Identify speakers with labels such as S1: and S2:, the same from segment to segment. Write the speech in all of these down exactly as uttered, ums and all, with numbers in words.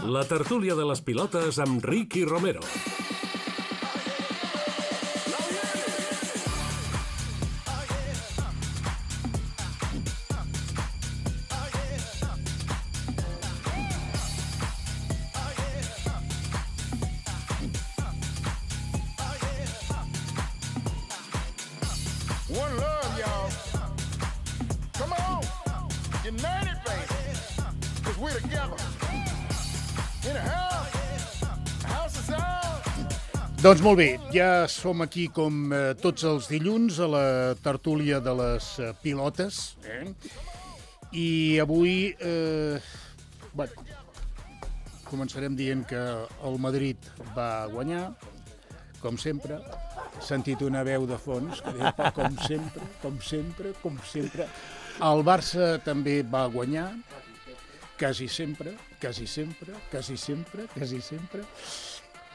S1: La tertúlia de les pilotes amb Ricky Romero.
S2: One love, y'all. Come on. United, baby. Because we're together. In a house. A house is ours.
S3: Doncs molt bé, ja som aquí com eh, tots els dilluns a la tertúlia de les eh, pilotes. Eh? I avui, eh, bueno, començarem dient que el Madrid va guanyar, com sempre. He sentit una veu de fons que deia, com sempre, com sempre, com sempre. El Barça també va guanyar, quasi sempre, quasi sempre, quasi sempre, quasi sempre.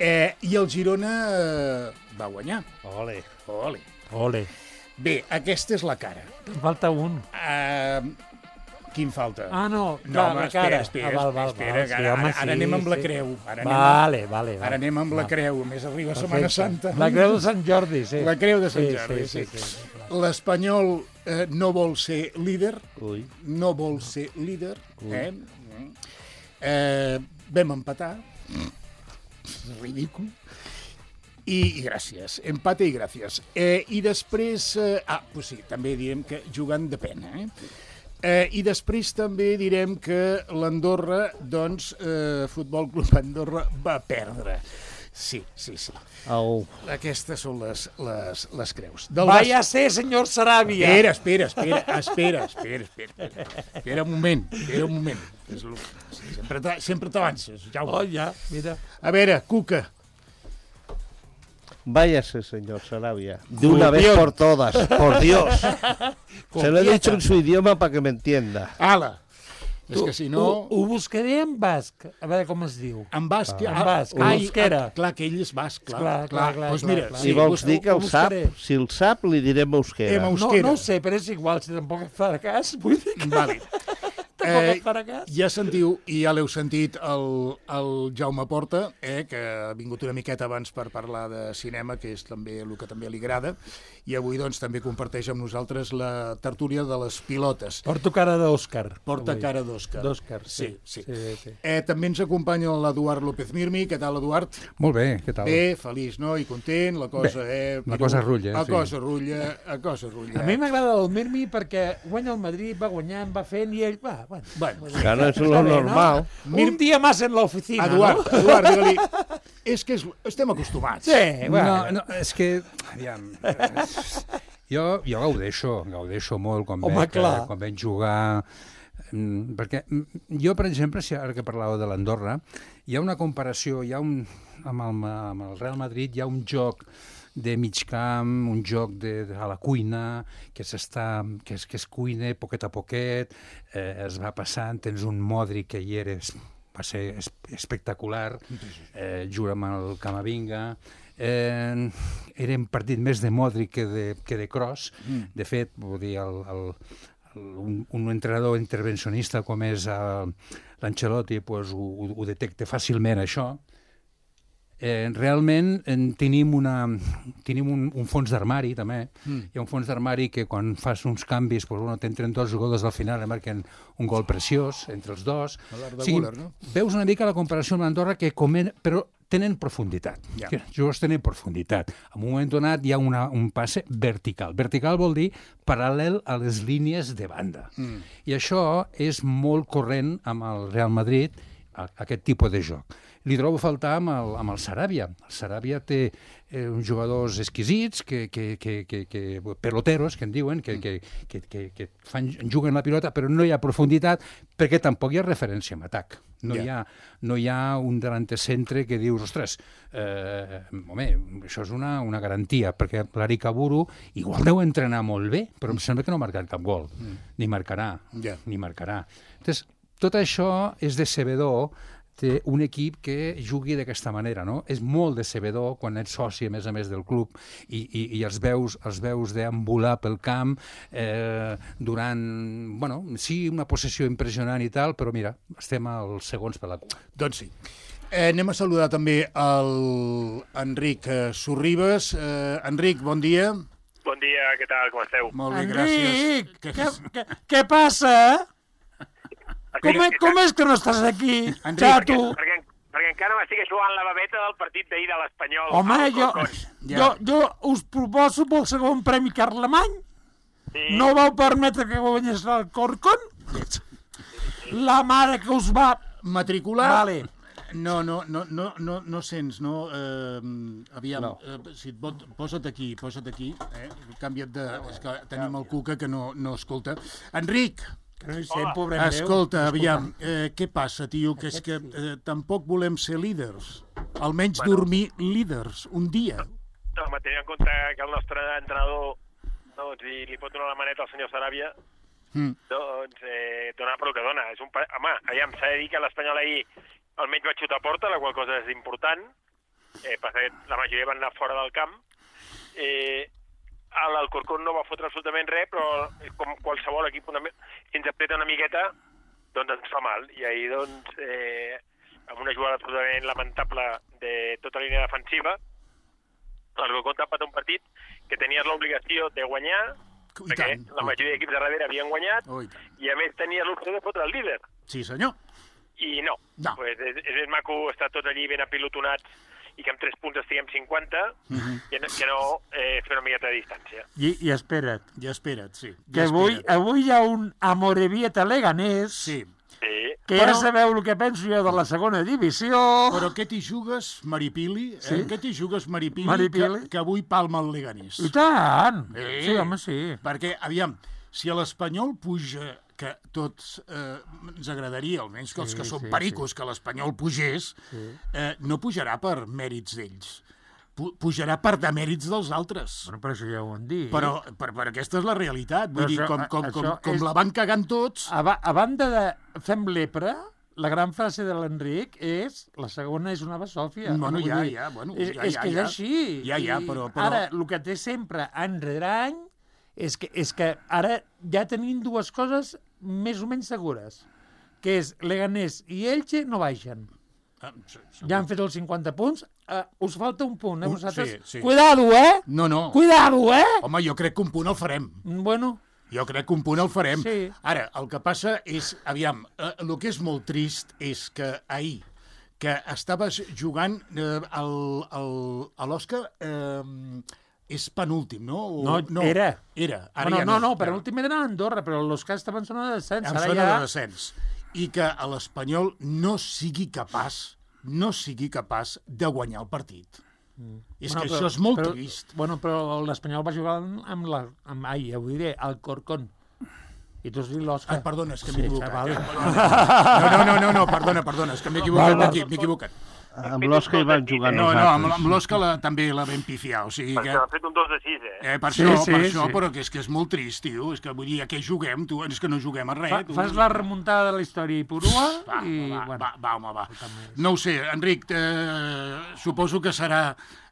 S3: Eh, I el Girona eh, va guanyar.
S4: Ole.
S3: Ole.
S4: Ole.
S3: Bé, aquesta és la cara.
S4: Em falta un.
S3: Eh, quin falta?
S4: Ah, no,
S3: No,
S4: clar,
S3: home,
S4: la
S3: espera,
S4: cara.
S3: espera,
S4: Ah, val, val,
S3: espera,
S4: val,
S3: que
S4: sí,
S3: ara,
S4: home,
S3: ara, ara
S4: sí,
S3: anem amb la
S4: sí.
S3: creu. Ara anem,
S4: Vale, vale, vale.
S3: ara anem amb la
S4: Va.
S3: creu, més arriba Setmana
S4: Perfecte.
S3: Santa.
S4: La creu de Sant Jordi, sí.
S3: La creu de Sant
S4: Sí,
S3: Jordi,
S4: sí,
S3: sí.
S4: sí, sí, sí.
S3: L'Espanyol eh, no vol ser líder,
S4: Ui.
S3: no vol ser líder, eh? Eh, vam empatar, ridícul, i, i gràcies, empate i gràcies. Eh, I després, eh, ah, pues sí, també direm que jugant de pena, eh? Eh, I després també direm que l'Andorra, doncs, eh, Futbol Club Andorra va perdre. Sí, sí, sí.
S4: Au.
S3: Aquestes són les, les, les creus. Del
S4: Vaya ser, senyor Saràbia.
S3: Espera, espera, espera, espera, espera, espera, espera, espera un moment, espera un moment. És lo... Sempre t'a- sempre t'avances, Jaume.
S4: Oh, ja, mira.
S3: A veure, Cuca,
S5: Váyase, señor Sarabia. De una vez
S3: Copión.
S5: por todas, por Dios. Se lo he
S3: Copieta.
S5: dicho en su idioma para que me entienda.
S3: ala. És que si no...
S4: Ho, ho buscaré en basc. A veure com es diu.
S3: En basc...
S4: En basc, en
S3: ai,
S4: euskera.
S3: ah, clar, que ell és basc, clar.
S4: Clar, clar, clar,
S3: Doncs
S4: clar,
S3: mira,
S4: clar.
S5: Si
S3: sí,
S5: vols
S3: vostè-
S5: dir que
S4: ho
S5: el sap,
S4: buscaré.
S5: si el sap, li direm euskera.
S3: Em
S4: No,
S3: euskera.
S4: no ho sé, però és igual, si tampoc et farà cas. Vull dir que
S3: Vale.
S4: tampoc et farà cas.
S3: Ja sentiu, i ja l'heu sentit, el, el Jaume Porta, eh, que ha vingut una miqueta abans per parlar de cinema, que és també el que també li agrada, i avui doncs també comparteix amb nosaltres la tertúlia de les pilotes.
S4: Porto cara d'Òscar.
S3: Porta
S4: avui.
S3: cara d'Òscar.
S4: D'Òscar, sí.
S3: Sí, sí.
S4: sí, sí.
S3: Eh, també ens acompanya l'Eduard López Mirmi. Què tal, Eduard?
S6: Molt bé, què tal?
S3: Bé, feliç, no? I content, la cosa, eh?
S6: la cosa rulla,
S3: La
S6: sí.
S3: cosa rulla, la cosa rulla.
S4: A mi m'agrada el Mirmi perquè guanya el Madrid, va guanyant, va fent i ell va... Bueno,
S3: Bueno,
S5: Claro, es lo
S4: Està bé, no?
S5: normal.
S3: Mir-
S4: Un dia més en l'oficina,
S3: Eduard,
S4: no?
S3: Eduard, digue-li... És que és, estem acostumats.
S4: Sí, bueno.
S6: No, no, és que, aviam, eh, jo, jo gaudeixo, gaudeixo molt quan,
S4: Home,
S6: veig,
S4: clar.
S6: quan veig jugar, mm, perquè mm, jo, per exemple, si ara que parlàveu de l'Andorra, hi ha una comparació, hi ha un, amb, el, amb el Real Madrid hi ha un joc de mig camp, un joc de, de, a la cuina, que s'està, que es, que es cuina poquet a poquet, eh, es va passant, tens un Modric que hi eres, va ser es, espectacular, eh, juga amb el Camavinga, eh, era un partit més de Modric que de, que de Kroos, mm. de fet, vull dir, el, el, el, un, un entrenador intervencionista com és uh, l'Ancelotti pues, ho, ho, ho detecta fàcilment, això. Eh, realment eh, tenim, una, tenim un, un fons d'armari també, mm. hi ha un fons d'armari que quan fas uns canvis pues, bueno, t'entren dos jugadors al final i marquen un gol preciós entre els dos.
S3: L'art
S6: O
S3: de
S6: sigui,
S3: Guller, no?
S6: veus una mica la comparació amb l'Andorra que comen, però tenen profunditat.
S3: Ja.
S6: Yeah. Els jugadors tenen profunditat. En un moment donat hi ha una, un passe vertical. Vertical vol dir paral·lel a les línies de banda. Mm. I això és molt corrent amb el Real Madrid, a, aquest tipus de joc. Li trobo a faltar amb el, amb el Saràbia. El Saràbia té eh, uns jugadors exquisits, que, que, que, que, que, peloteros, que en diuen, que, que, que, que, que fan, juguen la pilota, però no hi ha profunditat, perquè tampoc hi ha referència en atac. No,
S3: Ja.
S6: hi ha, no hi ha un delantecentre que dius, ostres, eh, home, això és una, una garantia, perquè l'Aric Aburu igual deu entrenar molt bé, però em sembla que no ha marcat cap gol, mm. ni marcarà,
S3: Ja.
S6: ni marcarà. Entonces, tot això és decebedor té un equip que jugui d'aquesta manera, no? És molt decebedor quan ets soci, a més a més, del club i, i, i els veus, els veus deambular pel camp eh, durant, bueno, sí, una possessió impressionant i tal, però mira, estem als segons per la cua.
S3: Doncs sí. Eh, anem a saludar també el Enric eh, Sorribes. Eh, Enric, bon dia.
S7: Bon dia, què tal, com esteu?
S3: Molt bé,
S4: Enric,
S3: gràcies.
S4: què, què, què passa? Com, és, com és que no estàs aquí,
S3: Enric,
S4: xato?
S7: Perquè, perquè encara m'estic jugant la babeta del partit d'ahir de l'Espanyol.
S4: Home,
S7: al
S4: jo,
S7: Corcón.
S3: Ja.
S4: jo, jo us proposo pel segon premi Carlemany.
S7: Sí.
S4: No vau permetre que guanyés el Corcón? La mare que us va...
S3: Matricular?
S4: Vale.
S3: No, no, no, no, no, no sents, no? Eh, aviam,
S5: No.
S3: eh, si et pot, posa't aquí, posa't aquí. Eh? Canvia't de... És que tenim el Cuca que no, no escolta. Enric,
S4: Que no hi sent, pobre meu.
S3: escolta, aviam, eh, què passa, tio? Que és que eh, tampoc volem ser líders. Almenys
S7: Bueno.
S3: dormir líders, un dia.
S7: Home, tenint en compte que el nostre entrenador doncs, i li pot donar la maneta al senyor Saràbia,
S3: Mm.
S7: doncs eh, dona pel que dona. És un pa... Home, aviam, s'ha de dir que l'Espanyol ahir almenys va xutar a porta, la qual cosa és important. Eh, passa que la majoria van anar fora del camp. Eh, L'Alcorcón no va fotre absolutament res, però com qualsevol equip, una... si ens apreta una miqueta, doncs ens fa mal. I ahir, doncs, eh, amb una jugada absolutament lamentable de tota la línia defensiva, l'Alcorcón t'ha empatat un partit que tenies l'obligació de guanyar,
S3: I
S7: perquè
S3: tant.
S7: la majoria d'equips de darrere havien guanyat,
S3: Oh, i tant.
S7: i a més tenies l'opció de fotre el líder.
S3: Sí, senyor.
S7: I no.
S3: No.
S7: Pues és, és, és maco estar tots allí ben apilotonats i que amb tres punts estiguem cinquanta,
S3: Mhm.
S7: que no, que no eh, fer una miqueta de distància.
S4: I, I espera't,
S3: Ja espera't, sí.
S4: que
S3: Ja
S4: avui,
S3: espera't.
S4: avui hi ha un Amorebieta Leganés,
S3: Sí.
S7: Sí.
S4: que
S3: Però-
S4: ja sabeu el que penso jo de la segona divisió.
S3: Però què t'hi jugues, Maripili? Eh?
S4: Sí.
S3: Què t'hi jugues, Maripili,
S4: Maripili?
S3: Que, que avui palma el Leganés?
S4: I tant!
S3: Sí.
S4: Sí, home, sí.
S3: Perquè, aviam, si a l'Espanyol puja, que tots eh, ens agradaria, almenys que els
S4: Sí,
S3: que som
S4: sí,
S3: pericos, que l'Espanyol pugés, eh, no pujarà per mèrits d'ells. Pu pujarà per demèrits dels altres.
S4: Bueno, però això ja ho han dit.
S3: Però per, per aquesta és la realitat. Vull
S4: Però
S3: dir,
S4: això-
S3: com, com, com,
S4: això
S3: com
S4: és-
S3: la van cagant tots...
S4: A, ba a banda de fem lepra, la gran frase de l'Enric és la segona és una basòfia.
S3: Bueno,
S4: Vull
S3: ja,
S4: dir,
S3: ja, bueno,
S4: és,
S3: ja,
S4: és
S3: ja,
S4: que és
S3: ja.
S4: així.
S3: Ja, ja,
S4: I
S3: però- però-
S4: Ara, el que té sempre any rere any és que, és que ara ja tenim dues coses més o menys segures, que és Leganés i Elche no baixen.
S3: Ah, sí, sí.
S4: Ja han fet els cinquanta punts. Uh, us falta un punt, eh,
S3: Un-
S4: vosaltres?
S3: sí, sí.
S4: Cuidado, eh?
S3: No, no.
S4: Cuidado, eh?
S3: Home, jo crec que un punt el farem.
S4: Bueno,
S3: Jo crec que un punt el farem.
S4: Sí.
S3: Ara, el que passa és, aviam, eh, el que és molt trist és que ahir, que estaves jugant eh, el, el, a l'Oscar, eh, és penúltim, no? O,
S4: no, era.
S3: Era. Ara
S4: Bueno,
S3: ja
S4: no, no,
S3: ja.
S4: per últim era a Andorra, però els que estaven en zona de descens.
S3: En
S4: Ara
S3: zona
S4: ja...
S3: de descens. I que a l'Espanyol no sigui capaç, no sigui capaç de guanyar el partit. Mm. És
S4: Bueno,
S3: que
S4: però-
S3: això és molt
S4: però,
S3: trist.
S4: Bueno, però l'Espanyol va jugar amb la... Amb, ai, ja ho diré, el Corcón. I tu has dit l'Òscar.
S3: Ah, perdona, és que m'he
S4: Sí,
S3: equivocat.
S4: vale.
S3: Eh? No, no, no, no, perdona, perdona, és que m'he equivocat
S4: Val, val.
S3: aquí, m'he equivocat.
S5: Amb l'Òscar hi van jugar
S3: No, no, amb,
S5: nosaltres.
S3: amb l'Òscar la, també la vam pifiar, o sigui que...
S7: Perquè han fet un dos de sis, eh?
S3: Eh, per
S4: Sí,
S3: això,
S4: sí,
S3: per això,
S4: sí.
S3: però que és que és molt trist, tio. És que vull dir, a què juguem, tu? És que no juguem a res.
S4: Fa,
S3: tu.
S4: fas la remuntada de la història i purua
S3: Va,
S4: i...
S3: va,
S4: bueno,
S3: va, va, home, va. No ho sé, Enric, eh, suposo que serà,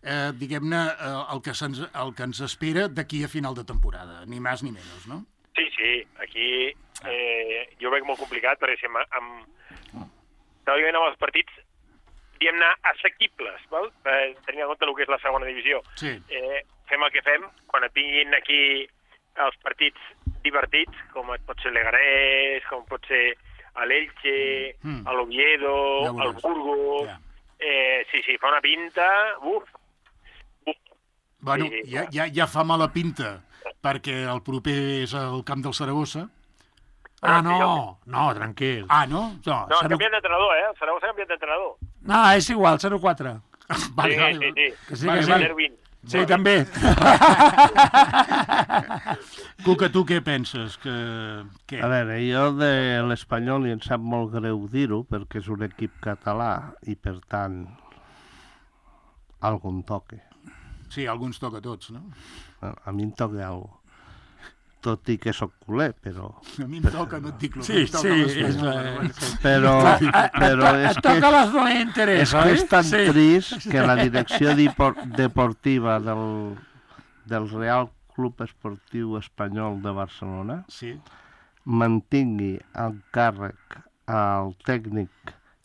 S3: eh, diguem-ne, eh, el, que se'ns- el que ens espera d'aquí a final de temporada, ni més ni menys, no?
S7: Sí, sí, aquí eh, jo ho veig molt complicat, perquè si amb, amb, teòricament amb els partits diguem-ne assequibles, val? Eh, tenint en compte el que és la segona divisió.
S3: Sí.
S7: Eh, fem el que fem, quan et vinguin aquí els partits divertits, com et pot ser l'Egarés, com pot ser l'Elche,
S3: Mm.
S7: l'Oviedo,
S3: Ja
S7: el
S3: veuràs.
S7: Burgos...
S3: Ja.
S7: Eh, sí, sí, fa una pinta... Uf, uf.
S3: Bueno,
S7: Sí,
S3: ja, ja, ja fa mala pinta, perquè el proper és el camp del Saragossa.
S4: Ah, no, no, tranquil.
S3: Ah, no?
S4: No,
S7: No, ha
S4: zero...
S7: canviat d'entrenador, eh? El Saragossa ha canviat d'entrenador.
S4: no, és igual, zero quatre.
S3: Vale,
S7: sí,
S3: vale,
S7: sí, sí.
S4: Que sí,
S3: Vale,
S4: que sí.
S3: vale.
S7: zero vint.
S4: Sí, també.
S3: Cuca, tu què penses? Que, què?
S5: A veure, jo de l'Espanyol, i em sap molt greu dir-ho, perquè és un equip català i, per tant, algun toque.
S3: Sí, alguns toca a tots, no?
S5: A a mi em toca alguna cosa. tot i que sóc culer, però...
S3: A mi em toca, no et dic el
S4: Sí, sí, és la...
S5: Però, però és
S4: Et
S5: que,
S4: toca les no interès,
S5: és que
S4: oi?
S5: és tan
S4: Sí.
S5: trist que la direcció dipor- deportiva del, del Real Club Esportiu Espanyol de Barcelona
S3: Sí.
S5: mantingui el càrrec al tècnic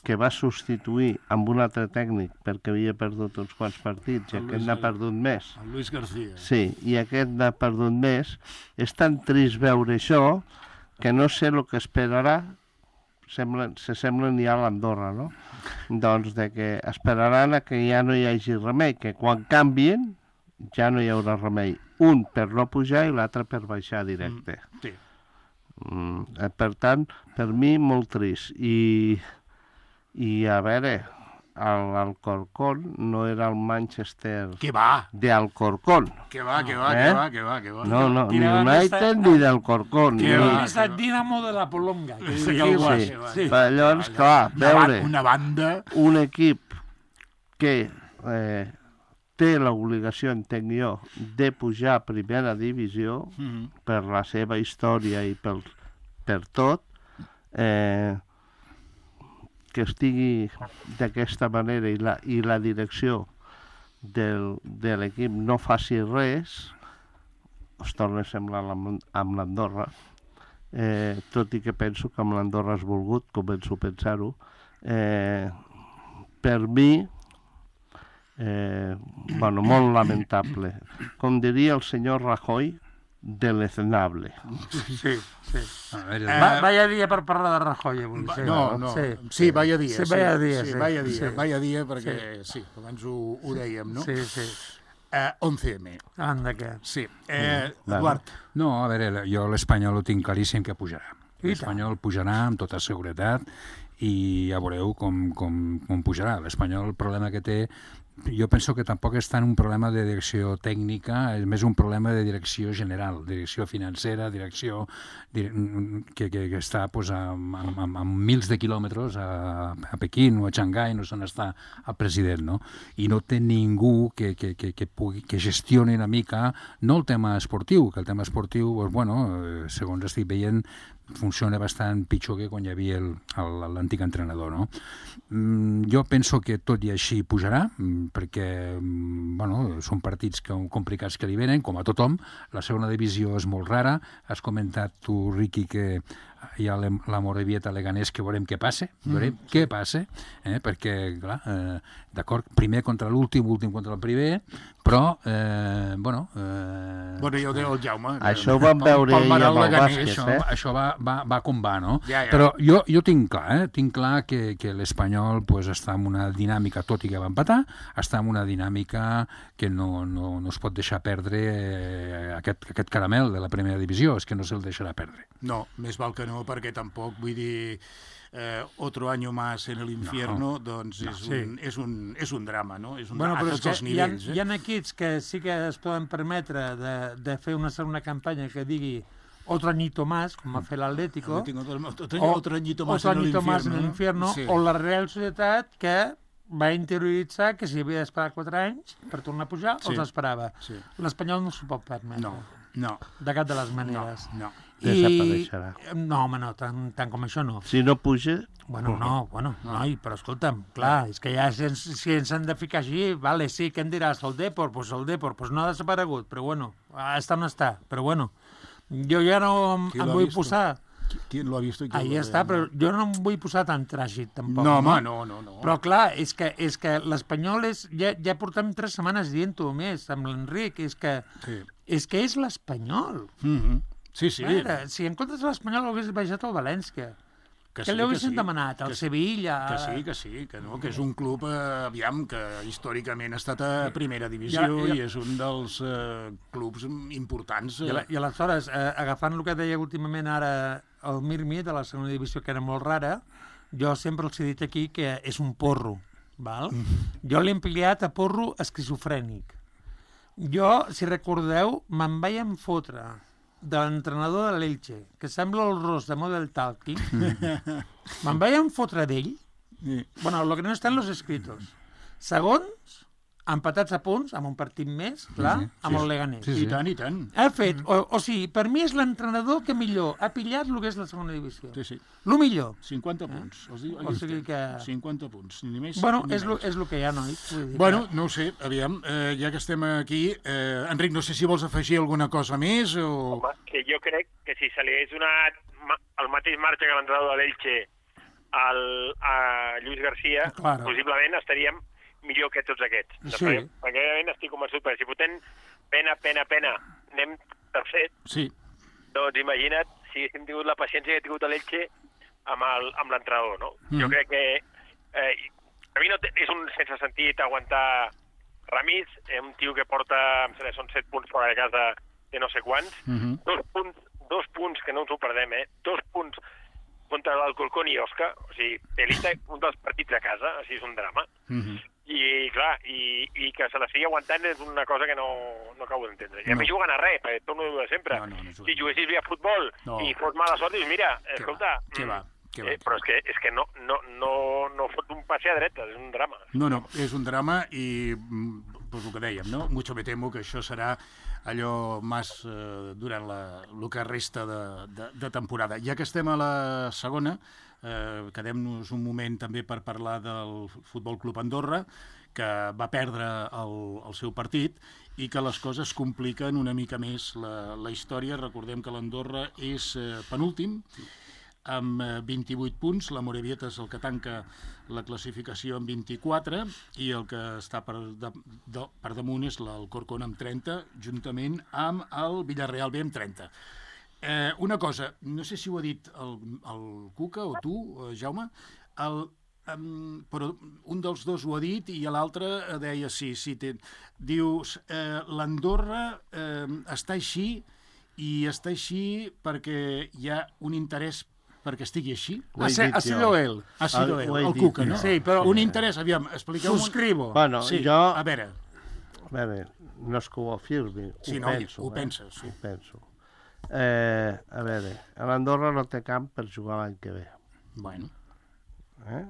S5: que va substituir amb un altre tècnic perquè havia perdut uns quants partits i
S3: El
S5: aquest
S3: Luis
S5: n'ha
S3: Gar-
S5: perdut més.
S3: El Luis García.
S5: Sí, i aquest n'ha perdut més. És tan trist veure això que no sé el que esperarà. Semblen, se semblen ja a l'Andorra, no? Doncs de que esperaran a que ja no hi hagi remei, que quan canvien ja no hi haurà remei. Un per no pujar i l'altre per baixar directe.
S3: Mm, sí.
S5: Mm, eh, per tant, per mi molt trist. I, i a veure, el Alcorcón no era el Manchester
S3: Que va,
S5: de Alcorcón.
S3: que va, que va,
S5: Eh?
S3: que va, que va, que va.
S5: No, no, ni
S4: Tiraven
S5: United
S4: aquesta-
S5: ni d'Alcorcón.
S3: Que
S5: ni-
S3: va.
S4: És el Dinamo de la Polonga, que
S3: Sí,
S4: diria el
S3: sí,
S4: Guas.
S3: sí.
S4: Sí.
S5: Però llavors, clar,
S3: Una, ba-
S5: veure
S3: una banda...
S5: un equip que eh, té l'obligació, entenc jo, de pujar a primera divisió
S3: Mm.
S5: per la seva història i per, per tot, eh, que estigui d'aquesta manera i la, i la direcció del, de l'equip no faci res, es torna a semblar amb, amb l'Andorra, eh, tot i que penso que amb l'Andorra has volgut, començo a pensar-ho, eh, per mi, eh, bueno, molt lamentable. Com diria el senyor Rajoy, deleznable.
S4: Sí, sí.
S6: A veure,
S3: Eh,
S4: Va, vaya dia per parlar de Rajoy avui. Sí.
S3: No, no,
S4: Sí,
S3: sí, vaya dia.
S4: Sí, vaya dia,
S3: sí,
S4: sí.
S3: vaya dia,
S4: Sí.
S3: vaya dia, perquè sí, abans ho, ho dèiem, no?
S4: Sí, sí.
S3: Eh, onze eme,
S4: Anda, què?
S3: sí. Eh,
S5: Vale.
S3: Eduard,
S6: no, a veure, jo l'Espanyol ho tinc claríssim que pujarà.
S4: I
S6: L'Espanyol pujarà amb tota seguretat i ja veureu com, com, com pujarà. L'Espanyol, el problema que té, jo penso que tampoc és tant un problema de direcció tècnica, és més un problema de direcció general, direcció financera, direcció dir, que, que, que està pues, a, a, a, a mils de quilòmetres a, a Pequín o a Xangai, no sé on està el president, no? I no té ningú que, que, que, que, pugui, que gestioni una mica, no el tema esportiu, que el tema esportiu, pues, bueno, eh, segons estic veient, funciona bastant pitjor que quan hi havia el- el- l'antic entrenador, no? Mm, jo penso que tot i així pujarà, mm, perquè mm, bueno, són partits que, complicats que li venen, com a tothom. La segona divisió és molt rara. Has comentat tu, Riqui, que hi ha l'em- la Morevieta Leganés, que veurem què passa, veurem mm, què passa, eh? perquè, clar, eh, d'acord, primer contra l'últim, últim contra el primer, però, eh, bueno... Eh,
S3: bueno, ja ho deia el Jaume.
S5: Això ho vam veure ahir
S3: Palmerar
S5: amb el
S3: Leganés,
S5: bàsquet,
S6: això,
S5: eh?
S6: això va, va, va com va, no?
S3: Ja, ja.
S6: Però jo, jo tinc clar, eh? tinc clar que, que l'Espanyol pues, està en una dinàmica, tot i que va empatar, està en una dinàmica que no, no, no es pot deixar perdre eh, aquest, aquest caramel de la primera divisió, és que no se'l deixarà perdre.
S3: No, més val que no, perquè tampoc, vull dir, eh, otro año más en el infierno, no. doncs és,
S4: Sí.
S3: un, és, un, és un drama, no? És un
S4: Bueno,
S3: drama
S4: però
S3: a
S4: és
S3: tots
S4: que
S3: els
S4: hi ha,
S3: nivells.
S4: hi
S3: Eh?
S4: ha equips que sí que es poden permetre de, de fer una segona campanya que digui otro añito más, com va fer l'Atlético,
S3: Tengo otro, otro,
S4: o
S3: otro añito más
S4: otro
S3: en el
S4: añito
S3: infierno.
S4: más en el
S3: no?
S4: infierno,
S3: Sí.
S4: o la Real Societat, que va interioritzar que si havia d'esperar quatre anys per tornar a pujar,
S3: Sí.
S4: els esperava.
S3: Sí.
S4: L'Espanyol no s'ho pot permetre.
S3: No, no,
S4: De cap de les
S3: no,
S4: maneres.
S3: no.
S5: Desapareixerà.
S4: No, home, no, tant, tant com això no.
S5: Si no puja,
S4: Bueno, no, bueno, noi, però escolta'm, clar, és que ja si ens, si ens han de ficar així, vale, sí, què em diràs, el Depor? Doncs pues el Depor, pues no ha desaparegut, però bueno, està on està, però bueno, jo ja no em,
S3: Qui
S4: em
S3: l'ha
S4: vull
S3: visto?
S4: posar,
S3: ¿Quién lo ha visto? y quién
S4: ahí
S3: lo
S4: està,
S3: ve?
S4: però jo no em vull posar tan tràgic, tampoc.
S3: No, home, no, no, no.
S4: Però clar, és que, és que l'Espanyol és... Ja, ja portem tres setmanes dient-ho més amb l'Enric, és que
S3: Sí.
S4: és que és l'Espanyol.
S3: Mm-hmm. Sí, sí.
S4: A veure, si en comptes de l'Espanyol l'hagués baixat al València, que, que li haguessin
S3: sí,
S4: demanat, al
S3: que sí.
S4: Sevilla...
S3: Que sí, que sí, que no, que és un club, eh, aviam, que històricament ha estat a primera divisió
S4: I,
S3: i,
S4: i,
S3: és un dels eh, clubs importants.
S4: I,
S3: Eh.
S4: la, I aleshores, eh, agafant el que deia últimament ara el Mirmi, de la segona divisió, que era molt rara, jo sempre els he dit aquí que és un porro, val? Jo l'he ampliat a porro esquizofrènic. Jo, si recordeu, me'n vaig enfotre de l'entrenador de l'Elche, que sembla el Ros de Model Talking, me'n vaig enfotre d'ell.
S3: Sí.
S4: Bueno, lo que no està en los escritos. Segons empatats a punts, amb un partit més, clar,
S6: sí,
S4: amb
S3: sí.
S4: el Leganés.
S3: I tant, i tant.
S4: Ha fet, o, o sigui, per mi és l'entrenador que millor ha pillat el que és la segona divisió.
S3: Sí, sí.
S4: Lo millor.
S3: cinquanta punts. Els dic,
S4: O sigui que...
S3: cinquanta punts, ni més
S4: Bueno,
S3: ni
S4: és lo,
S3: menys.
S4: és lo que hi ha, nois. Vull dir
S3: Bueno,
S4: que...
S3: no ho sé, aviam, eh, ja que estem aquí, eh, Enric, no sé si vols afegir alguna cosa més o...
S7: Home, que jo crec que si se li hagués donat ma- el mateix marge que l'entrenador de l'Elche al, a Lluís García,
S4: Claro.
S7: possiblement estaríem millor que tots aquests.
S4: Sí.
S7: Perquè, perquè realment estic convençut, perquè si fotem pena, pena, pena, anem tercer,
S3: Sí,
S7: doncs imagina't si haguéssim tingut la paciència que ha tingut l'Elche amb el- amb l'entrenador, no?
S3: Mm.
S7: Jo crec que eh, a mi no té, és un sense sentit aguantar Ramis, eh, un tio que porta, em sembla, són set punts fora de casa de no sé quants,
S3: Mhm.
S7: dos punts, dos punts que no ens ho perdem, eh? Dos punts contra l'Alcorcón i Osca, o sigui, Elita, un dels partits a casa, així és un drama.
S3: Mhm.
S7: I, clar, i, i que se la sigui aguantant és una cosa que no, no acabo d'entendre. I a
S3: No.
S7: més juguen a res, perquè torno a dir de sempre.
S3: No, no, no juguen.
S7: Si juguessis bé a futbol
S3: No.
S7: i fos mala sort, dius, mira,
S3: Què
S7: escolta...
S3: va, què
S7: mm,
S3: va, què va,
S7: eh,
S3: què
S7: però
S3: va.
S7: és que, és que no, no, no, no fot un passe a dreta, és un drama.
S3: No, no, és un drama i, mm, pues el que dèiem, no? Mucho me temo que això serà allò més eh, durant la, el que resta de, de, de temporada. Ja que estem a la segona, eh, quedem-nos un moment també per parlar del Futbol Club Andorra, que va perdre el, el seu partit i que les coses compliquen una mica més la, la història. Recordem que l'Andorra és eh, penúltim, amb eh, vint-i-vuit punts, la Morevieta és el que tanca la classificació amb vint-i-quatre i el que està per, de, de, per damunt és l'Alcorcón amb trenta, juntament amb el Villarreal B amb trenta. Eh, una cosa, no sé si ho ha dit el, el Cuca o tu, eh, Jaume, el, um, però un dels dos ho ha dit i l'altre eh, deia sí, sí, té, dius, eh, l'Andorra eh, està així i està així perquè hi ha un interès perquè estigui així.
S5: Ho he
S4: Ha, se,
S5: dit
S4: ha sido
S5: jo.
S4: él.
S3: Ha sido
S5: Ah,
S3: ell,
S5: ho he
S3: el
S5: dit
S3: Cuca,
S5: jo.
S3: no?
S4: Sí, però-
S3: Un interès, aviam, expliqueu...
S4: Subscribo.
S5: Bueno,
S3: Sí,
S5: jo...
S3: a veure,
S5: A veure, no és que ho afirmi,
S3: Sí,
S5: ho
S3: no,
S5: penso.
S3: ho
S5: eh?
S3: penses, sí.
S5: Ho penso. Eh, a veure, a l'Andorra no té camp per jugar l'any que ve.
S3: bueno,
S5: Eh?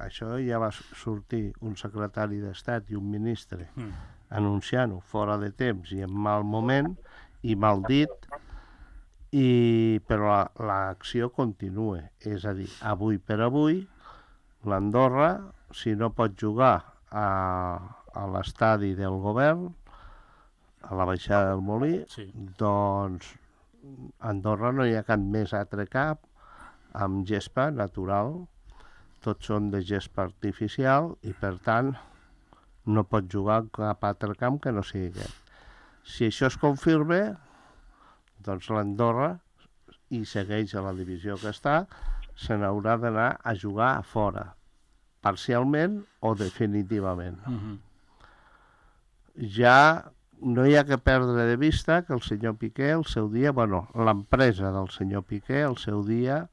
S5: Això ja va sortir un secretari d'Estat i un ministre
S3: mm.
S5: anunciant-ho fora de temps i en mal moment i mal dit, i, però la- l'acció continua. És a dir, avui per avui, l'Andorra, si no pot jugar a, a l'estadi del govern, a la baixada del Molí,
S3: sí.
S5: doncs a Andorra no hi ha cap més altre cap amb gespa natural, tots són de gespa artificial i per tant no pot jugar en cap altre camp que no sigui aquest. Si això es confirma, doncs l'Andorra, i segueix a la divisió que està, se n'haurà d'anar a jugar a fora, parcialment o definitivament.
S3: Mhm.
S5: Ja no hi ha que perdre de vista que el senyor Piqué, el seu dia, bueno, l'empresa del senyor Piqué, el seu dia,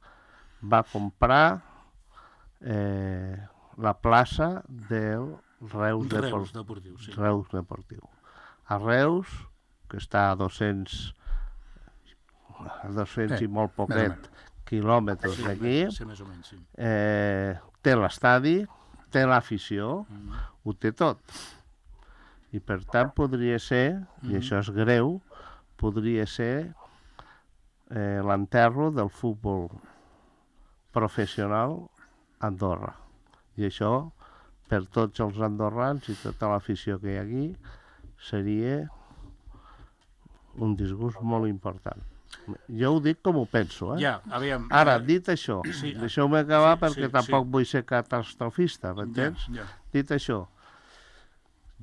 S5: va comprar eh, la plaça del Reus,
S3: Reus
S5: Depor
S3: Deportiu, sí.
S5: Reus Deportiu. A Reus, que està a dos-cents, a dos-cents
S6: Sí,
S5: i molt
S6: més o
S5: poquet quilòmetres
S3: Sí,
S5: d'aquí,
S3: sí, més o menys, sí.
S5: eh, té l'estadi, té l'afició,
S3: Mm.
S5: ho té tot. I per tant podria ser, i
S3: Mhm.
S5: això és greu, podria ser eh, l'enterro del futbol professional a Andorra. I això, per tots els andorrans i tota l'afició que hi ha aquí, seria un disgust molt important. Jo ho dic com ho penso, eh?
S3: Ja, aviam...
S5: Ara,
S3: eh,
S5: dit això,
S3: sí,
S5: deixeu-me acabar
S3: sí,
S5: perquè
S3: sí,
S5: tampoc
S3: sí.
S5: vull ser catastrofista,
S3: ja,
S5: m'entens?
S3: ja.
S5: Dit això,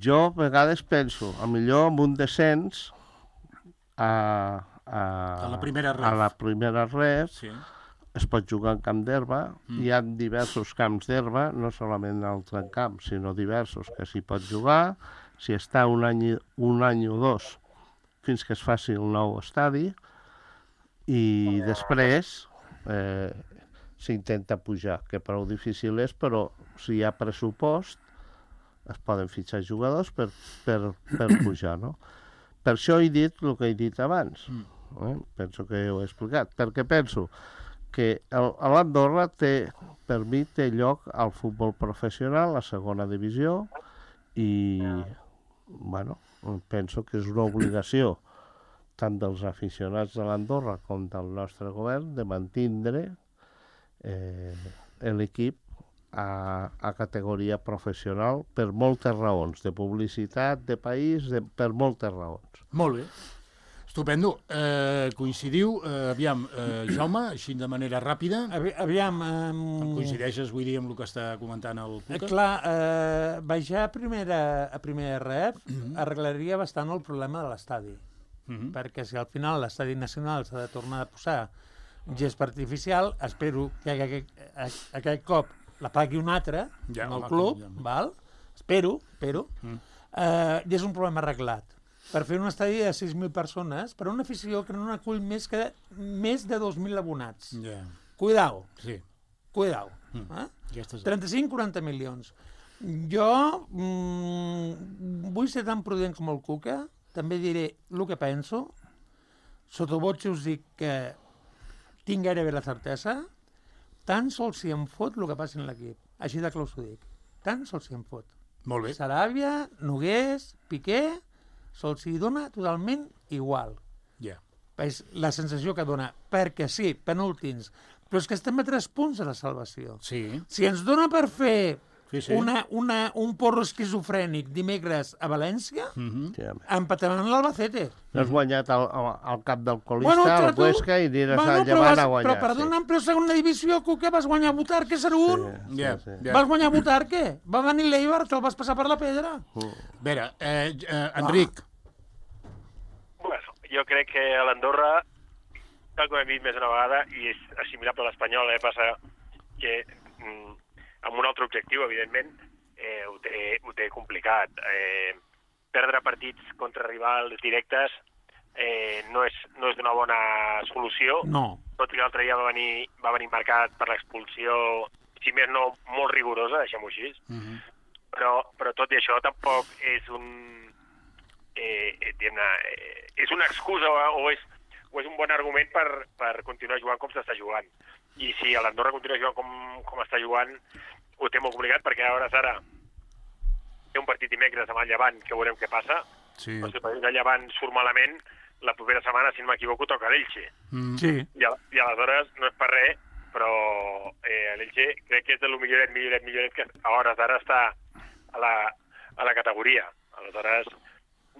S5: jo a vegades penso, a millor amb un descens a, a,
S3: A la primera ref.
S5: a la primera ref
S3: Sí.
S5: es pot jugar en camp d'herba,
S3: Mm.
S5: hi ha diversos camps d'herba, no solament el trencamp, sinó diversos que s'hi pot jugar, si està un any, un any o dos fins que es faci el nou estadi, i després eh, s'intenta pujar, que prou difícil és, però si hi ha pressupost es poden fitxar jugadors per, per, per pujar, no? Per això he dit el que he dit abans. Eh? Penso que ho he explicat. Perquè penso que el- a l'Andorra té, per mi té lloc al futbol professional, la segona divisió, i bueno, penso que és una obligació tant dels aficionats de l'Andorra com del nostre govern de mantindre eh, l'equip a, a categoria professional per moltes raons, de publicitat, de país, de, per moltes raons.
S3: Molt bé. Estupendo. Eh, coincidiu? Eh, aviam, eh, Jaume, així de manera ràpida.
S4: Avi, aviam...
S3: Em
S4: Um...
S3: coincideixes, vull dir, amb el que està comentant el
S4: Eh,
S3: Cuca?
S4: clar, eh, baixar a primera, a primera ref mm-hmm. arreglaria bastant el problema de l'estadi. Mm-hmm. Perquè si al final l'estadi nacional s'ha de tornar a posar gespa artificial, espero que aquest, aquest cop la pagui un altre,
S3: Ja,
S4: en el
S3: home,
S4: club,
S3: ja.
S4: val? Espero, espero. Mm. Eh, I és un problema arreglat. Per fer un estadi de sis mil persones, per una afició que no n'acull més que més de dos mil abonats.
S3: Ja.
S4: Cuidao,
S3: Sí.
S4: cuidao.
S3: Mm.
S4: Eh?
S3: Aquestes...
S4: trenta-cinc a quaranta milions. Jo mm, vull ser tan prudent com el Cuca, també diré el que penso, sota voce us dic que tinc gairebé la certesa, tan sols si em fot el que passi en l'equip. Així de clar us ho dic. Tan sols si em fot.
S3: Molt bé.
S4: Saràbia, Nogués, Piqué, sols si dona totalment igual.
S3: Ja.
S4: És la sensació que dona. Perquè sí, penúltims, però és que estem a tres punts de la salvació.
S3: Sí.
S4: Si ens dona per fer
S3: Sí, sí.
S4: una, una, un porro esquizofrènic dimecres a València,
S3: Mm-hmm.
S5: Sí, home.
S4: empataran l'Albacete.
S5: No has guanyat al, al, al cap del colista,
S4: Bueno,
S5: al
S4: tu-
S5: Huesca, i aniràs
S4: bueno,
S5: al
S4: però,
S5: Llevant
S4: vas,
S5: a guanyar.
S4: però perdona'm, però segona divisió, Cuca, vas guanyar a Butarque zero un.
S5: Sí,
S3: Ja,
S5: sí, sí.
S3: ja.
S4: Vas guanyar a Butarque. Va venir l'Eibar, te'l vas passar per la pedra.
S3: A veure, eh, eh, Enric,
S7: Bueno, jo crec que a l'Andorra, tal com hem dit més una vegada, i és assimilable a l'Espanyol, eh, passa que mm, amb un altre objectiu, evidentment, eh, ho, té, ho té complicat. Eh, perdre partits contra rivals directes eh, no és, no és d'una bona solució,
S4: No.
S7: tot i que l'altre dia va venir, va venir marcat per l'expulsió, si més no, molt rigorosa, deixem-ho així,
S3: mm-hmm.
S7: però, però tot i això tampoc és un eh, eh, eh, és una excusa o, o, és, o és un bon argument per, per continuar jugant com s'està jugant. I si a l'Andorra continua jugant com, com està jugant, ho té molt complicat, perquè a hores d'ara té un partit dimecres amb el Llevant, que veurem què passa,
S3: Sí.
S7: però si el partit del Llevant surt malament, la propera setmana, si no m'equivoco, toca l'Elche.
S3: Mm.
S4: Sí.
S7: I, a, I aleshores no és per res, però eh, l'Elche crec que és de lo milloret, milloret, milloret que a hores d'ara està a la, a la categoria. Aleshores,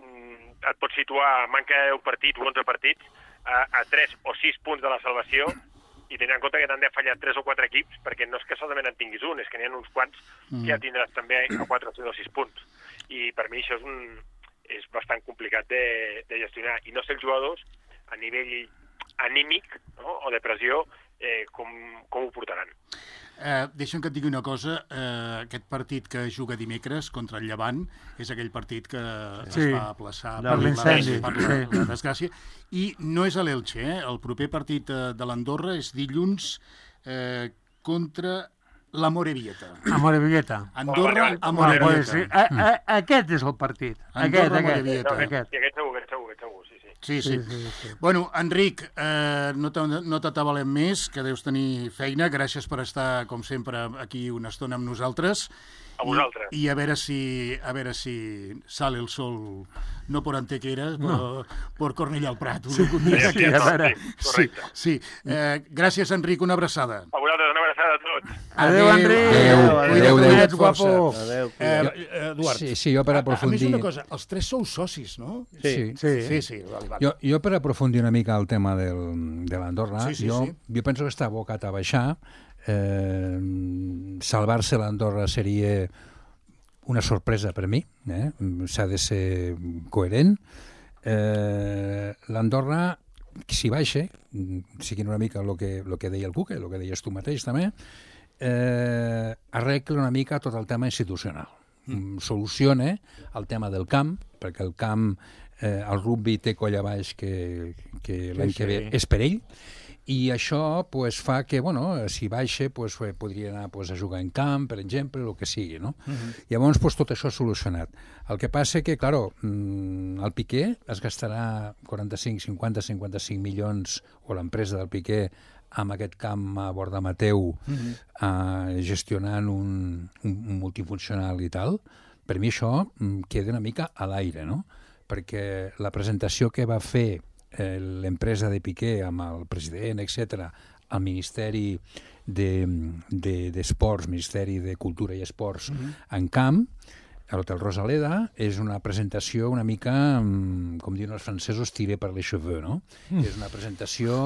S7: mm, et pots situar, manca deu partits o onze partits, a, a tres o sis punts de la salvació, i tenint en compte que t'han de fallar tres o quatre equips, perquè no és que solament en tinguis un, és que n'hi ha uns quants que ja tindràs també a quatre o sis punts. I per mi això és, un, és bastant complicat de, de gestionar. I no sé els jugadors, a nivell anímic, no? O de pressió, eh, com, com ho portaran.
S3: Eh, deixa'm que et digui una cosa, eh, aquest partit que juga dimecres contra el Llevant és aquell partit que
S4: Sí.
S3: es va aplaçar
S5: Per
S3: per, la,
S4: l'incendi,
S3: per la,
S4: sí.
S3: la desgràcia, i no és a l'Elche, eh? El proper partit eh, de l'Andorra és dilluns eh, contra la Morevieta.
S4: Amore Villeta.
S3: Andorra a
S4: Bueno, pues, sí.
S3: Morevieta.
S4: a, a, aquest és el partit.
S3: Andorra,
S4: Aquest, aquest.
S3: Morevieta.
S7: No,
S4: aquest.
S7: I aquest segur, aquest segur, aquest segur, sí, sí.
S3: Sí, sí.
S4: Sí, sí, sí.
S3: Bueno, Enric, eh, no te- no t'atabalem més, que deus tenir feina. Gràcies per estar, com sempre, aquí una estona amb nosaltres.
S7: A vosaltres.
S3: I, i a veure si a veure si sale el sol, no por Antequera, però por Cornellà al Prat. Sí,
S7: Sí, sí,
S4: a veure.
S7: sí, correcte.
S3: sí. Eh, gràcies, Enric, una abraçada.
S7: A vosaltres, una abraçada a tots.
S4: Adéu, Enric.
S5: Adéu,
S3: Cuida't,
S5: adéu,
S3: cuida't
S4: adéu.
S3: força.
S4: Guapo.
S5: Adéu,
S3: Eh,
S5: cuida't.
S3: eh, Eduard,
S6: Sí, sí, jo per
S3: a, a més
S6: aprofundir...
S3: una cosa, els tres sou socis, no?
S6: Sí.
S4: Sí.
S3: Sí, sí, vale, vale.
S6: Jo, jo per aprofundir una mica el tema del, de l'Andorra,
S3: Sí, sí,
S6: jo,
S3: sí.
S6: jo penso que està abocat a baixar. Eh, salvar-se l'Andorra seria una sorpresa per mi, eh? S'ha de ser coherent. Eh, L'Andorra, si baixa, siguin una mica el que, lo que deia el Cuca, el que deies tu mateix també, eh, arregla una mica tot el tema institucional. Mm. Soluciona el tema del camp, perquè el camp, eh, el rugby té colla baix que, que l'any
S4: Sí,
S6: que ve
S4: sí.
S6: és per ell, i això pues, fa que, bueno, si baixa, pues, podria anar pues, a jugar en camp, per exemple, el que sigui, no? Uh-huh. Llavors, pues, tot això solucionat. El que passa que, claro, el Piqué es gastarà quaranta-cinc, cinquanta, cinquanta-cinc milions, o l'empresa del Piqué, amb aquest camp a Borda Mateu, uh-huh. eh, gestionant un, un, un multifuncional i tal, per mi això mm, queda una mica a l'aire, no? Perquè la presentació que va fer eh, l'empresa de Piqué amb el president, etcètera, al Ministeri d'Esports, de, de, Ministeri de Cultura i Esports mm-hmm. en Camp, a l'Hotel Rosaleda, és una presentació una mica, com diuen els francesos, tiré per les cheveux, no? Mm. És una presentació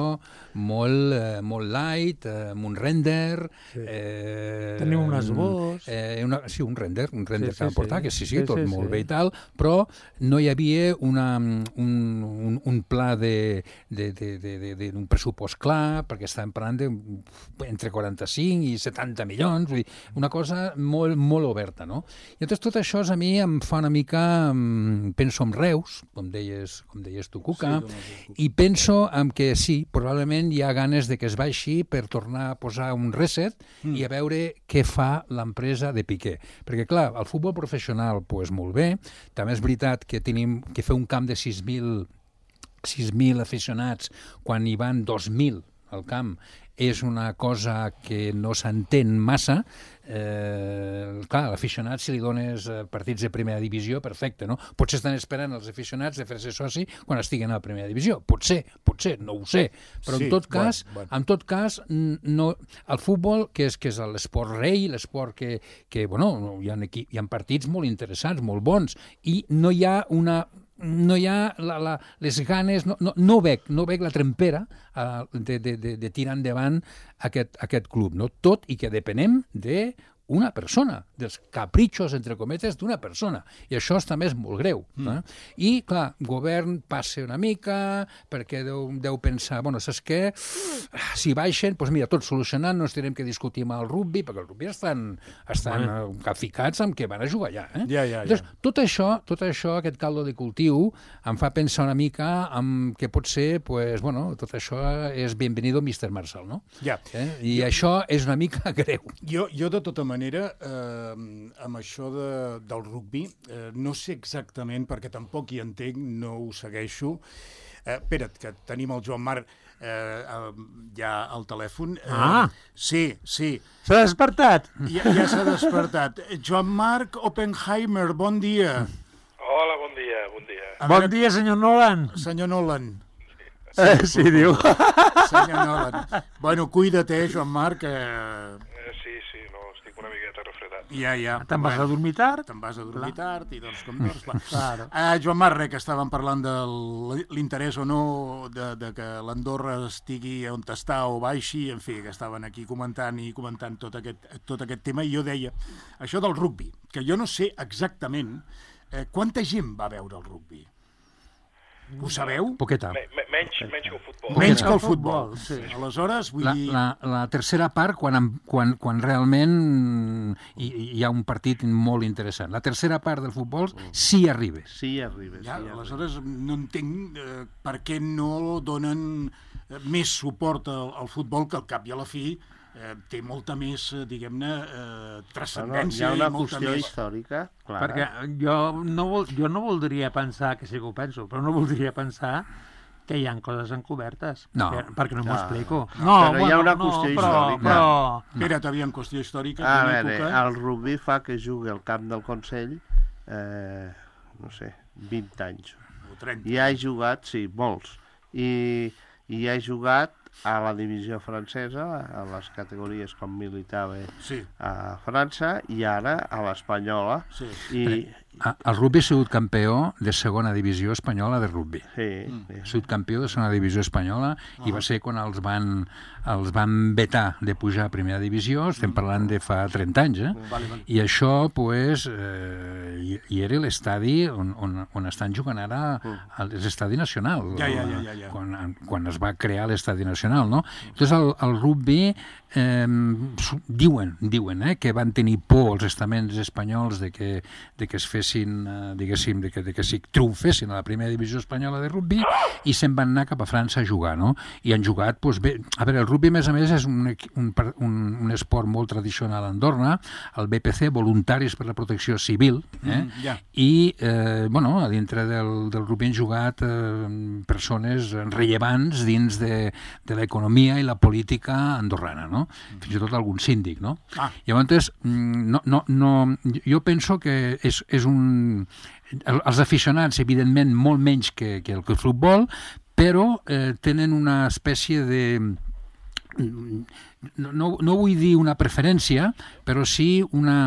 S6: molt, eh, molt light, eh, amb un render...
S4: Sí.
S6: Eh,
S4: Tenim un esbós...
S6: Eh, una, sí, un render, un render
S4: sí,
S6: que van
S4: sí,
S6: portar,
S4: sí.
S6: que sí, sí,
S4: sí
S6: tot
S4: sí,
S6: molt
S4: sí.
S6: bé i tal, però no hi havia una, un, un, un pla de, de, de, de, de, de, d'un pressupost clar, perquè estàvem parlant de entre quaranta-cinc i setanta milions, vull dir, una cosa molt, molt oberta, no? I llavors tot això a mi em fa una mica, penso en Reus, com deies, com deies tu, Cuca, sí, i penso en que sí, probablement hi ha ganes de que es baixi per tornar a posar un reset mm. i a veure què fa l'empresa de Piqué. Perquè, clar, el futbol professional, pues, molt bé, també és veritat que tenim que fer un camp de sis mil aficionats quan hi van dos mil al camp és una cosa que no s'entén massa. Eh, clar, a l'aficionat, si li dones partits de primera divisió, perfecte, no? Potser estan esperant els aficionats de fer-se soci quan estiguen a la primera divisió. Potser, potser, no ho sé. Però sí, en tot cas, bueno, bueno. en tot cas no, el futbol, que és, que és l'esport rei, l'esport que, que bueno, hi ha, equip, hi ha partits molt interessants, molt bons, i no hi ha una... no hi ha la, la, les ganes, no, no, no, veig, no veig la trempera uh, de, de, de, de tirar endavant aquest, aquest club, no? Tot i que depenem de una persona, dels capritxos, entre cometes, d'una persona. I això també és molt greu. Mm. Eh? I, clar, govern passa una mica, perquè deu, deu pensar, bueno, saps què? Si baixen, doncs mira, tot solucionat, no ens tindrem que discutir amb el rugby, perquè el rugby estan, estan bueno. ficats amb què van a jugar allà. Eh?
S3: Ja, ja, ja.
S6: Llavors, tot això, tot això, aquest caldo de cultiu, em fa pensar una mica en que pot ser, pues, bueno, tot això és bienvenido mister Marshall, no?
S3: Ja.
S6: Eh? I jo... això és una mica greu.
S3: Jo, jo de tota manera, eh, amb això de, del rugby, eh, no sé exactament, perquè tampoc hi entenc, no ho segueixo. Eh, espera't, que tenim el Joan Marc eh, ja al telèfon. Eh,
S4: ah!
S3: Sí, sí.
S4: S'ha despertat?
S3: Ja, ja s'ha despertat. Joan Marc Oppenheimer, bon dia.
S8: Hola, bon dia, bon dia.
S3: A
S4: bon
S3: veure,
S4: dia, senyor Nolan.
S3: senyor Nolan.
S4: Eh, sí, diu.
S3: Senyor Nolan. Bueno, cuida't, eh, Joan Marc. Eh...
S8: Eh, sí, sí, no, estic una miqueta refredat.
S3: Ja, ja.
S4: Te'n vas a dormir tard?
S3: Te'n vas a dormir
S4: Clar.
S3: tard i doncs com doncs... Va.
S4: Claro.
S3: Uh, Joan Marc, que estàvem parlant de l'interès o no de, de que l'Andorra estigui on està o baixi, en fi, que estaven aquí comentant i comentant tot aquest, tot aquest tema, i jo deia, això del rugby, que jo no sé exactament eh, quanta gent va veure el rugby. Ho sabeu?
S6: Poqueta.
S8: Me, me, menys, menys que el futbol.
S3: Menys que el futbol.
S4: Sí.
S3: Aleshores, vull
S6: La,
S3: dir...
S6: la, la tercera part, quan, quan, quan realment hi, hi ha un partit molt interessant. La tercera part del futbol, sí arribes.
S5: Sí, arribes.
S3: Ja,
S5: sí, arribes.
S3: aleshores no entenc eh, per què no donen eh, més suport al, al futbol, que al cap i a la fi eh, té molta més, eh, diguem-ne, eh, transcendència.
S5: Bueno, hi ha una
S3: i molta
S5: qüestió
S3: més...
S5: històrica, clara.
S4: Perquè jo no, vol, jo no voldria pensar, que sí que ho penso, però no voldria pensar que hi ha coses encobertes.
S6: No.
S4: Per, perquè no m'ho
S5: No.
S4: explico.
S5: No, però hi ha una qüestió
S4: no, però,
S5: històrica.
S4: Però...
S3: Espera't, aviam, qüestió històrica.
S5: A
S3: d'una
S5: veure,
S3: època...
S5: el rugby fa que jugui al camp del Consell, eh, no sé, vint anys.
S3: O trenta.
S5: I ha jugat, sí, molts. I, i ha jugat a la divisió francesa, a les categories com militava
S3: Sí,
S5: a França, i ara a l'espanyola.
S3: sí.
S5: I,
S6: El rugby ha sigut campió de segona divisió espanyola de rugby.
S5: sí,
S6: Ha sigut campió de segona divisió espanyola i va ser quan els van, els van vetar de pujar a primera divisió, estem parlant de fa trenta anys, eh?
S3: Vale, vale.
S6: I això, pues, eh, i, i era l'estadi on, on, on estan jugant ara l'estadi nacional.
S3: Ja, ja, ja, ja, ja.
S6: Quan, quan es va crear l'estadi nacional, no? Entonces, el, el rugby eh, diuen, diuen eh, que van tenir por els estaments espanyols de que, de que es fes fessin, eh, diguéssim, de que, de que s'hi triomfessin a la primera divisió espanyola de rugbi i se'n van anar cap a França a jugar, no? I han jugat, doncs bé, a veure, el rugbi, a més a més, és un, un, un, un esport molt tradicional a Andorra, el B P C, Voluntaris per la Protecció Civil, eh? Mm, yeah. I, eh, bueno, a dintre del, del rugbi han jugat eh, persones rellevants dins de, de l'economia i la política andorrana, no? Fins i tot algun síndic, no? Ah. Llavors, no, no, no, jo penso que és, és un... Els aficionats, evidentment, molt menys que, que el que el futbol, però eh, tenen una espècie de... No, no vull dir una preferència, però sí una...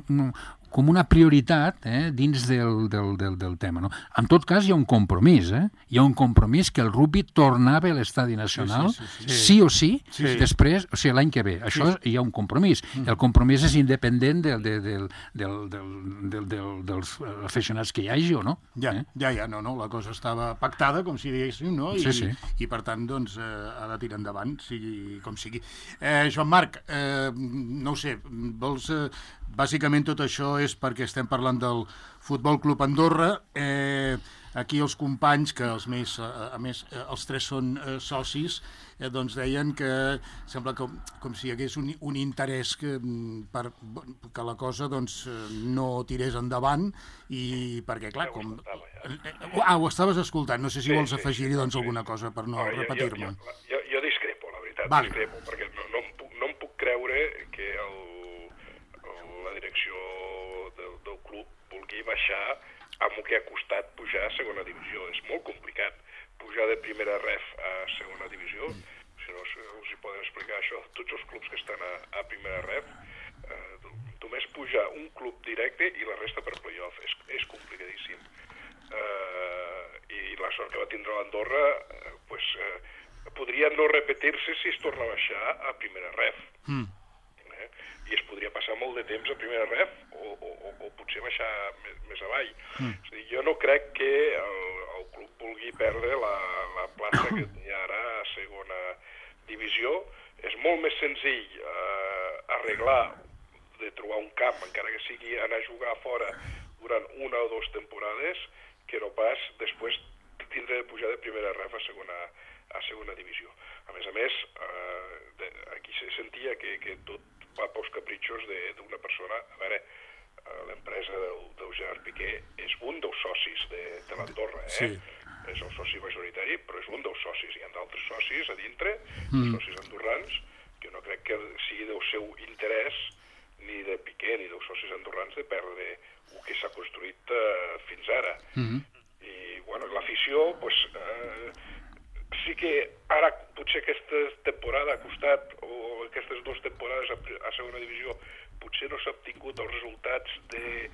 S6: una com una prioritat eh, dins del, del, del, del tema. No? En tot cas, hi ha un compromís. Eh? Hi ha un compromís que el rugbi tornava a l'estadi nacional, sí, sí, sí, sí. sí o sí, sí, sí. després, o sigui, l'any que ve. Això sí. Hi ha un compromís. Mm. El compromís és independent del, del, del, del, del, del, del, dels aficionats que hi hagi o no.
S3: Ja,
S6: eh?
S3: ja, ja, no, no, la cosa estava pactada, com si diguéssim, no? I,
S6: sí, sí.
S3: I per tant, doncs, eh, ha de tirar endavant, sigui com sigui. Eh, Joan Marc, eh, no ho sé, vols... Eh, bàsicament tot això és perquè estem parlant del Futbol Club Andorra. Eh, aquí els companys, que els més, a, a més els tres són eh, socis, eh, doncs deien que sembla com, com si hi hagués un, un interès que, per, que la cosa doncs, no tirés endavant i perquè, clar, com... Ah, ho estaves escoltant, no sé si sí, vols afegir-hi doncs, sí, alguna cosa per no, no repetir-me.
S8: Jo, jo, jo discrepo, la veritat,
S3: vale.
S8: discrepo, perquè no, no, em puc, no em puc creure que el direcció del, del club vulgui baixar amb el que ha costat pujar a segona divisió. És molt complicat pujar de primera ref a segona divisió. Si no, us hi poden explicar això tots els clubs que estan a, a primera ref. Eh, només pujar un club directe i la resta per playoff. És, és complicadíssim. Eh, I la sort que va tindre l'Andorra eh, pues, eh, podria no repetir-se si es torna a baixar a primera ref. Mm. I es podria passar molt de temps a primera ref o, o, o potser baixar més, més avall. Mm. És a dir, jo no crec que el, el club vulgui perdre la, la plaça que hi ha ara a segona divisió. És molt més senzill eh, arreglar de trobar un camp, encara que sigui anar a jugar fora durant una o dues temporades, que no pas després tindre de pujar de primera ref a segona, a segona divisió. A més a més, eh, de, aquí se sentia que, que tot va pels capritxos d'una persona. A veure, l'empresa del, del Gerard Piqué és un dels socis de, de l'Andorra, eh? Sí. És el soci majoritari, però és un dels socis. Hi ha d'altres socis a dintre, mm. socis andorrans, que no crec que sigui del seu interès, ni de Piqué ni dels socis andorrans, de perdre el que s'ha construït eh, fins ara. Mm. I, bueno, l'afició, doncs... Eh, sí que ara potser aquesta temporada ha costat, o aquestes dues temporades a, a segona divisió, potser no s'ha obtingut els resultats de,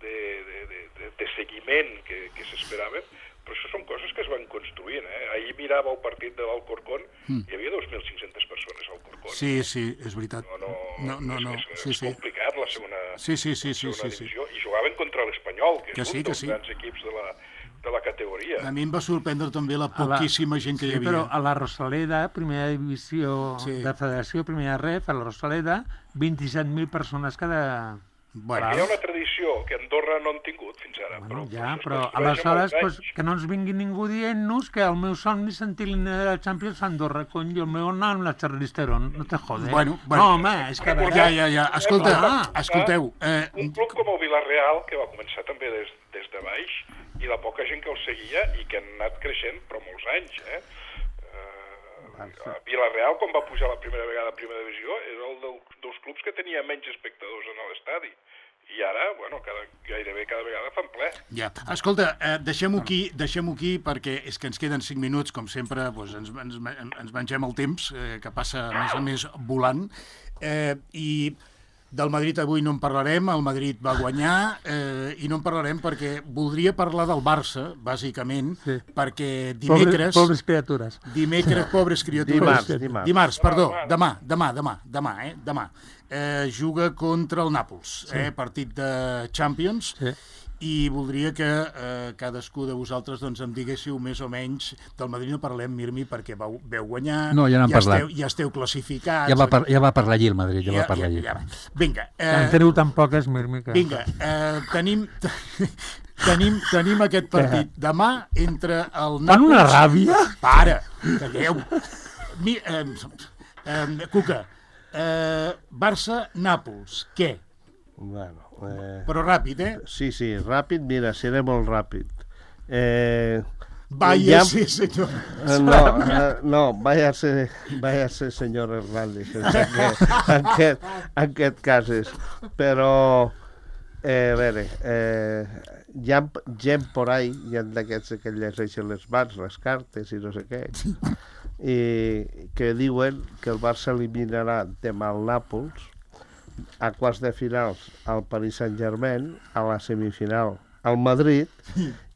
S8: de, de, de, de, de seguiment que, que s'esperaven, però això són coses que es van construint. Eh? Ahir mirava el partit de l'Alcorcón, mm. hi havia dos mil cinc-centes persones al Alcorcón.
S3: Sí, sí, és veritat.
S8: No, no,
S3: no, no,
S8: és,
S3: no.
S8: és,
S3: Sí,
S8: és
S3: sí.
S8: complicat la segona,
S3: sí, sí, sí, sí,
S8: segona
S3: sí,
S8: divisió,
S3: sí.
S8: i jugaven contra l'Espanyol, que, que és
S3: sí,
S8: un dels
S3: sí.
S8: grans equips de la, de la categoria.
S3: A mi em va sorprendre també la poquíssima la... gent que
S4: sí,
S3: hi havia.
S4: Però a la Rosaleda, primera divisió sí. de Federació, primera ref, a la Rosaleda, vint-i-set mil persones cada...
S3: Bueno.
S8: Hi ha una tradició que Andorra no han tingut fins ara.
S4: Bueno,
S8: però,
S4: ja,
S8: però,
S4: però aleshores pues, que no ens vingui ningú dient-nos que el meu somni és sentir l'himne de la Champions a Andorra, cony, i el meu nom la Charlisterón, no te jode.
S3: Bueno, bueno.
S4: No, home, és que...
S3: Ja, ja, ja, escolta, ah, escolteu...
S8: Eh... Un club com el Villarreal, que va començar també des, des de baix, i la poca gent que el seguia i que han anat creixent, però molts anys, eh? Uh, Villarreal, quan va pujar la primera vegada a primera divisió, era el del, dels clubs que tenia menys espectadors en l'estadi. I ara, bueno, cada, gairebé cada vegada fan ple.
S3: Ja. Escolta, eh, deixem-ho aquí, deixem-ho aquí, perquè és que ens queden cinc minuts, com sempre, doncs ens, ens, ens mengem el temps, eh, que passa, a més a més, volant. Eh, I del Madrid avui no en parlarem, el Madrid va guanyar, eh, i no en parlarem perquè voldria parlar del Barça, bàsicament, sí. perquè dimecres...
S4: Pobres, pobres criatures.
S3: Dimecres, pobres criatures.
S5: Dimarts, dimarts.
S3: Dimarts, perdó, demà, demà, demà, demà, eh, demà. Eh, juga contra el Nàpols, sí. eh, partit de Champions, sí. i voldria que eh, cadascú de vosaltres doncs, em diguéssiu més o menys, del Madrid no parlem, Mirmi, perquè vau, veu guanyar,
S6: no, ja,
S3: ja,
S6: esteu,
S3: ja esteu classificats...
S6: Ja va, par ja va parlar allí el Madrid, ja, ja va parlar allí.
S3: Ja, ja. Vinga.
S4: Eh, en teniu tan poques, Mirmi, que...
S3: Vinga, eh, tenim... Tenim, tenim aquest partit demà entre el Nàpols...
S4: Fan una ràbia?
S3: Para, calleu. Mi, eh, eh, Cuca, eh, Barça-Nàpols, què?
S5: Bueno, eh...
S3: Però ràpid, eh?
S5: Sí, sí, ràpid, mira, seré molt ràpid. Eh...
S3: Vaya, ja... sí, senyor.
S5: Eh, no, eh, no, váyase, váyase, senyor Hernández, en aquest, en aquest, en aquest cas és. Però, eh, a veure, eh, hi ha gent por ahí, hi ha d'aquests que llegeixen les mans, les cartes i no sé què, i que diuen que el Barça eliminarà demà el Nàpols, a quarts de finals al Paris Saint-Germain, a la semifinal al Madrid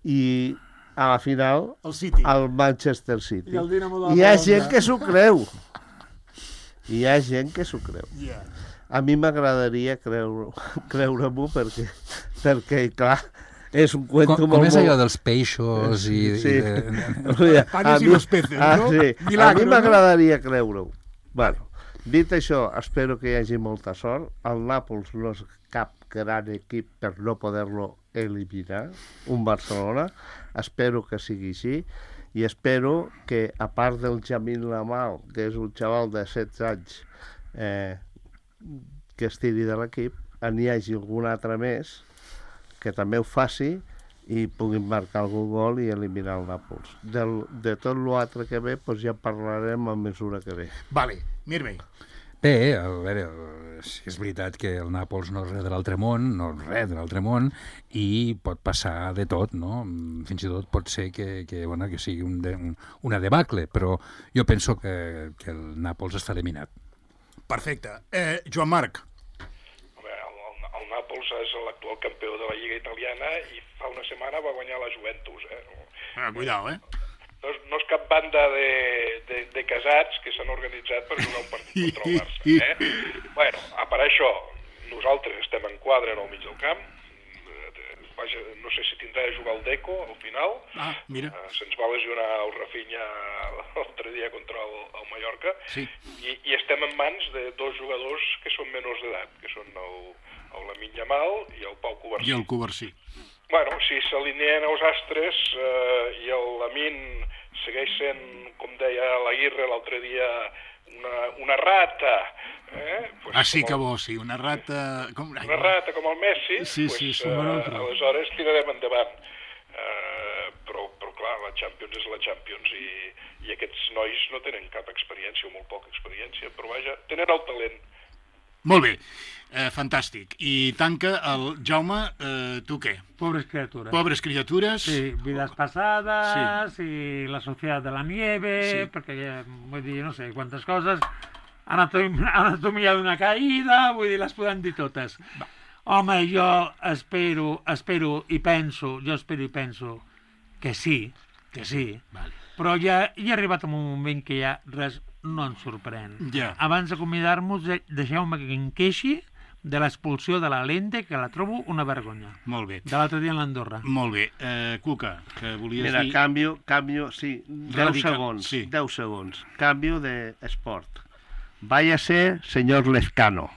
S5: i a la final
S3: el City.
S5: Al Manchester City.
S3: I
S5: hi ha gent que s'ho creu. Hi ha gent que s'ho creu.
S3: Yeah.
S5: A mi m'agradaria creure-m'ho creure perquè, perquè, clar, és un cuento
S6: com,
S5: molt...
S6: Com és allò dels peixos i...
S5: Sí.
S6: i de...
S3: Panes i los peces,
S5: ah,
S3: no?
S5: Sí.
S3: Milagro,
S5: a mi m'agradaria no? creure-ho. Bueno, dit això, espero que hi hagi molta sort. El Nàpols no és cap gran equip per no poder-lo eliminar, un Barcelona. Espero que sigui així i espero que, a part del Jamil Lamal, que és un xaval de setze anys eh, que es tiri de l'equip, n'hi hagi algun altre més que també ho faci i puguin marcar algun gol i eliminar el Nàpols. Del, de tot l'altre que ve, doncs ja parlarem a mesura que ve.
S3: Vale, Mirmi.
S6: Bé, a veure, sí, és veritat que el Nàpols no és res de l'altre món, no és res de l'altre món, i pot passar de tot, no? Fins i tot pot ser que, que, bueno, que sigui un de, un, una debacle, però jo penso que, que el Nàpols està eliminat.
S3: Perfecte. Eh, Joan Marc.
S8: El, el, el Nàpols és l'actual campió de la Lliga Italiana i fa una setmana va guanyar la Juventus. Eh?
S3: Ah, cuidao, eh?
S8: No és, no és cap banda de, de, de casats que s'han organitzat per jugar un partit contra el Barça. Eh? Bueno, a part això, nosaltres estem en quadre en el mig del camp. Vaja, no sé si tindrà de jugar el Deco al final.
S3: Ah, mira.
S8: Uh, se'ns va lesionar el Rafinha l'altre dia contra el, el Mallorca.
S3: Sí.
S8: I, I estem en mans de dos jugadors que són menors d'edat, que són el, el Lamine Yamal i el Pau Covarsí.
S3: I el Covarsí.
S8: Bueno, si s'alineen els astres eh, i el Lamine segueix sent, com deia l'Aguirre l'altre dia, una, una rata... Eh? Pues
S3: ah, sí
S8: el,
S3: que bo, sí, una rata... Com...
S8: Una rata com el Messi,
S3: sí,
S8: pues,
S3: sí, sí,
S8: eh, aleshores tirarem endavant. Eh, però, però clar, la Champions és la Champions i, i aquests nois no tenen cap experiència o molt poca experiència, però vaja, tenen el talent.
S3: Molt bé. Eh, fantàstic. I tanca el Jaume, eh, tu què?
S4: Pobres criatures.
S3: Pobres criatures.
S4: Sí, vidas pasadas sí. Y la sociedad de la nieve, sí. Perquè, vull dir, no sé, quantes coses, anatomia, anatomia d'una caïda, vull dir, les podem dir totes. Va. Home, jo espero, espero i penso, jo espero i penso que sí, que sí, vale. Però ja hi ha arribat un moment que ja res no ens sorprèn.
S3: Ja.
S4: Abans d'acomiadar-nos, deixeu-me que em queixi de l'expulsió de la Lente, que la trobo una vergonya.
S3: Molt bé.
S4: De l'altre dia en l'Andorra.
S3: Molt bé. Eh, Cuca, que volies
S5: Mira,
S3: dir...
S5: Mira, canvio, canvio, sí, deu Radical, segons,
S3: sí.
S5: deu segons. Canvio d'esport. Váyase, señor Lezcano.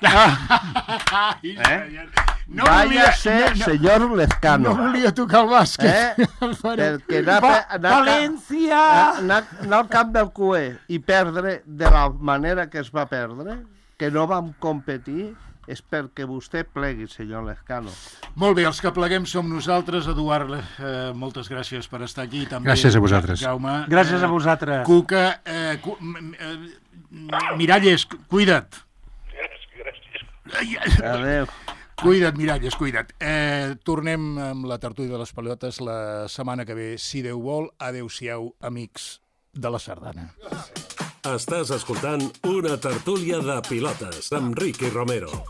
S5: ¿Eh?
S3: No
S5: Váyase,
S3: volia, no,
S5: señor Lezcano.
S3: No volia tocar el bàsquet.
S5: Eh? Perquè anar,
S4: Va,
S5: anar,
S4: València!
S5: anar, anar al camp del Cué i perdre de la manera que es va perdre, que no vam competir, és perquè vostè plegui, senyor Lezcano.
S3: Molt bé, els que pleguem som nosaltres. Eduard, eh, moltes gràcies per estar aquí. També,
S6: gràcies a vosaltres.
S3: Jaume.
S4: Gràcies a vosaltres.
S3: Cuca, eh, cu eh, Miralles, cuida't.
S8: Gràcies.
S5: Adéu.
S3: Cuida't, Miralles, cuida't. Eh, tornem amb la tertúlia de les pilotes la setmana que ve, si Déu vol. Adéu-siau, amics de la Sardana.
S1: Estàs escoltant una tertúlia de pilotes amb Ricky Romero.